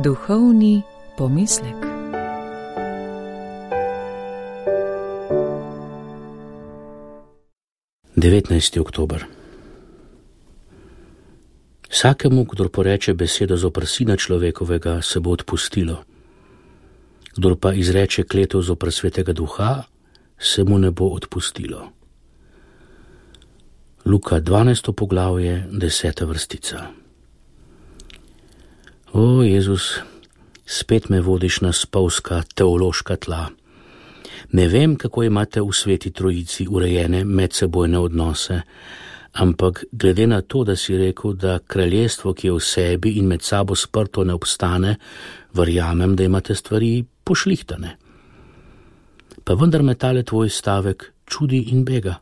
Duhovni pomislek. Devetnajsti oktober. Vsakemu, kdor poreče besedo zoper Sina človekovega, se bo odpustilo. Kdor pa izreče kletev zoper Svetega Duha, se mu ne bo odpustilo. Luka 12. poglavje, 10. vrstica. O, Jezus, spet me vodiš na spolzka teološka tla. Ne vem, kako imate v Sveti Trojici urejene medsebojne odnose, ampak glede na to, da si rekel, da kraljestvo, ki je v sebi in med sabo sprto, ne obstane, verjamem, da imate stvari pošlihtane. Pa vendar me tale tvoj stavek čudi in bega.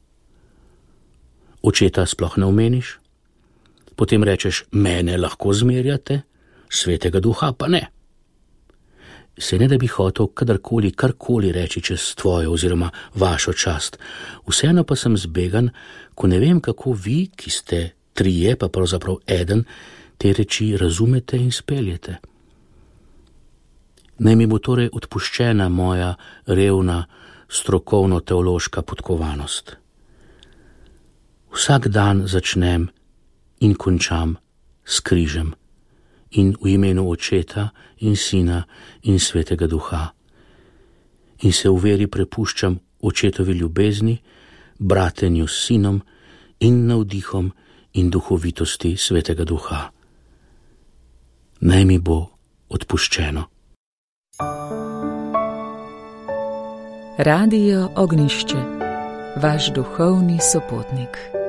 Očeta sploh ne omeniš, potem rečeš, mene lahko zmerjate, Svetega Duha pa ne. Se ne da bi hotel kadarkoli, karkoli reči čez tvojo oziroma vašo čast. Vseeno pa sem zbegan, ko ne vem, kako vi, ki ste trije, pa pravzaprav eden, te reči razumete in speljete. Naj mi bo torej odpuščena moja revna, strokovno-teološka podkovanost. Vsak dan začnem in končam s križem in v imenu Očeta in Sina in Svetega Duha. In se v veri prepuščam Očetovi ljubezni, bratenju s Sinom in navdihom in duhovitosti Svetega Duha. Naj mi bo odpuščeno. Radio Ognjišče, vaš duhovni sopotnik.